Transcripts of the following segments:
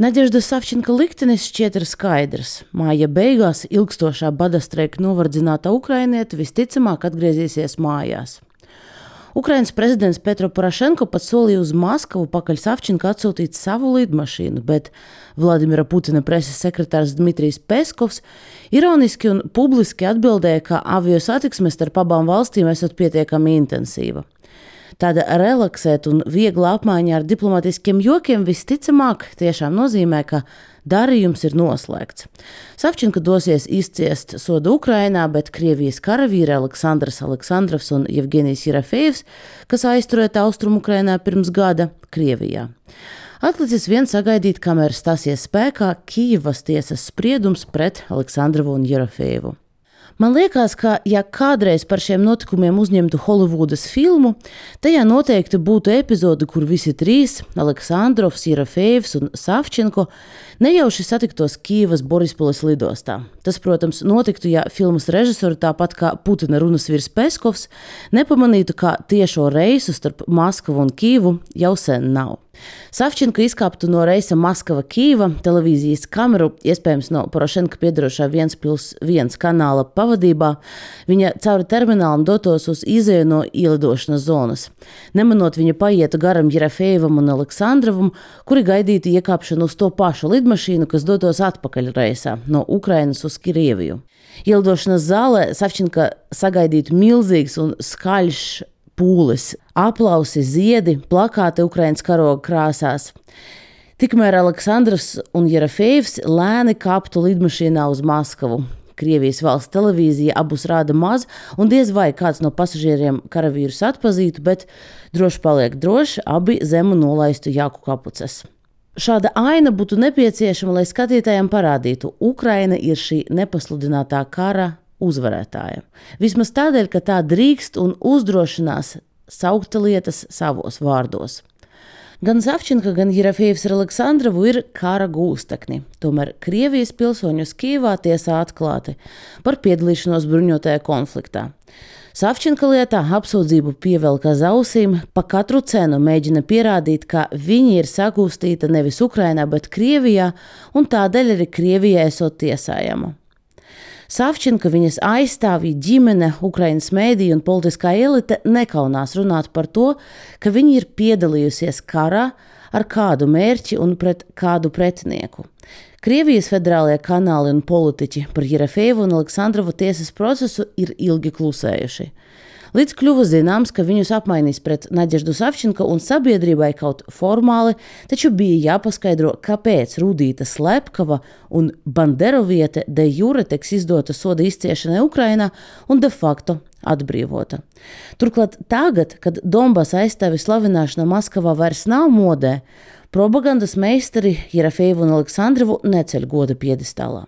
Nadeždas Savčenka liktenis šķiet ir skaidrs. Māja beigās ilgstošā badastreika novardzināta ukrainiete visticamāk atgriezīsies mājās. Ukrainas prezidents Petro Porošenko pat solīja uz Maskavu pakaļ Savčenka atsūtīt savu lidmašīnu, bet Vladimira Putina preses sekretārs Dmitrijs Peskovs ironiski un publiski atbildēja, ka aviosatiksme starp abām valstīm esot pietiekami intensīva. Tāda relaksēta un viegla apmaiņa ar diplomatiskiem jokiem visticamāk tiešām nozīmē, ka darījums ir noslēgts. Savčenka dosies izciest sodu Ukrainā, bet Krievijas karavīri Aleksandrs Aleksandrovs un Jevgenijs Jerofejevs, kas aizturēti Austrumu-Ukrainā pirms gada, Krievijā. Atlicis vien sagaidīt, kamēr stāsies spēkā Kijevas tiesas spriedums pret Aleksandrovu un Jerofejevu. Man liekas, ka, ja kādreiz par šiem notikumiem uzņemtu Holivudas filmu, tajā noteikti būtu epizode, kur visi trīs – Aleksandrovs, Jerofejevs un Savčenko – nejauši satiktos Kijevas Borispoles lidostā. Tas, protams, notiktu, ja filmas režisori, tāpat kā Putina runasvīrs Peskovs, nepamanītu, ka tiešo reisu starp Maskavu un Kijevu jau sen nav. Savčenka izkāptu no reisa Maskava-Kijeva televīzijas kameru, iespējams no Porošenka piedarošā 1+1 kanāla pavadībā, viņa cauri terminālam dotos uz izēju no ielidošanas zonas. Nemanot, viņa paietu garam Jerofejevam un Aleksandrovam, kuri gaidītu iekāpšanu uz to pašu lidmašīnu, kas dotos atpakaļ reisā no Ukrainas uz Krieviju. Ielidošanas zālē Savčenka sagaidītu milzīgs un skaļš pūlis, aplausi, ziedi, plakāti Ukrainas karoga krāsās. Tikmēr Aleksandrs un Jerofejevs lēni kāptu lidmašīnā uz Maskavu. Krievijas valsts televīzija abus rāda maz, un diez vai kāds no pasažieriem karavīrus atpazītu, bet droši paliek droši, abi zemu nolaistu jāku kapuces. Šāda aina būtu nepieciešama, lai skatītājiem parādītu, Ukraina ir šī nepasludinātā kara uzvarētāja. Vismaz tādēļ, ka tā drīkst un uzdrošinās saukt lietas savos vārdos. Gan Savčenka, gan Jerofejevs ar Aleksandrovu ir kara gūstekņi. Tomēr Krievijas pilsoņus Kijevā tiesā atklāti par piedalīšanos bruņotajā konfliktā. Savčenka lietā apsūdzību pievelk aiz ausīm, pa katru cenu mēģina pierādīt, ka viņi ir sagūstīta nevis Ukrainā, bet Krievijā, un tādēļ arī Krievijai esot tiesājama. Savčenka, viņas aizstāvji, ģimene, Ukrainas mēdīja un politiskā elite nekaunās runāt par to, ka viņi ir piedalījusies karā ar kādu mērķi un pret kādu pretinieku. Krievijas federālie kanāli un politiķi par Jerofejevu un Aleksandrovu tiesas procesu ir ilgi klusējuši. Līdz kļuva zināms, ka viņus apmainīs pret Nadeždu Savčenko un sabiedrībai kaut formāli, taču bija jāpaskaidro, kāpēc Rudīta Slepkava un Banderoviete de jure tiks izdota soda izciešanai Ukrainā un de facto atbrīvota. Turklāt tagad, kad Donbasa aizstāvi slavināšana Maskavā vairs nav modē, propagandas meistari Jerofejevu un Aleksandrovu neceļ goda piedestālā.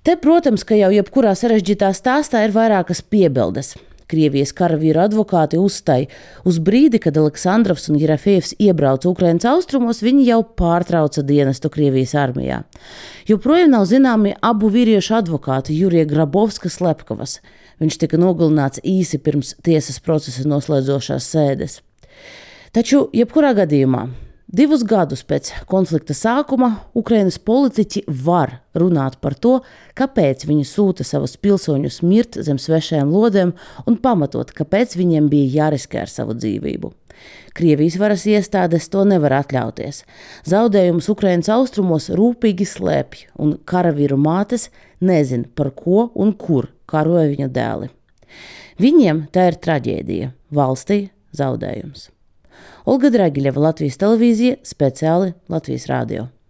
Te, protams, ka jau jebkurā sarežģītā stāstā ir vairākas piebildes. Krievijas karavīru advokāti uzstāj uz brīdi, kad Aleksandrovs un Jerofejevs iebrauca Ukrainas austrumos, viņi jau pārtrauca dienestu Krievijas armijā. Joprojām nav zināmi abu vīriešu advokāti Jurija Grabovska Slepkavas. Viņš tika nogalināts īsi pirms tiesas procesa noslēdzošās sēdes. Taču, jebkurā gadījumā, 2 gadus pēc konflikta sākuma Ukrainas politiķi var runāt par to, kāpēc viņi sūta savus pilsoņus mirt zem svešajām lodēm un pamatot, kāpēc viņiem bija jāriskē ar savu dzīvību. Krievijas varas iestādes to nevar atļauties. Zaudējumus Ukrainas austrumos rūpīgi slēpj, un karavīru mātes nezin, par ko un kur karoja viņu dēli. Viņiem tā ir traģēdija, valstī zaudējums. Olga Dragiļeva, Latvijas televīzija, speciāli Latvijas radio.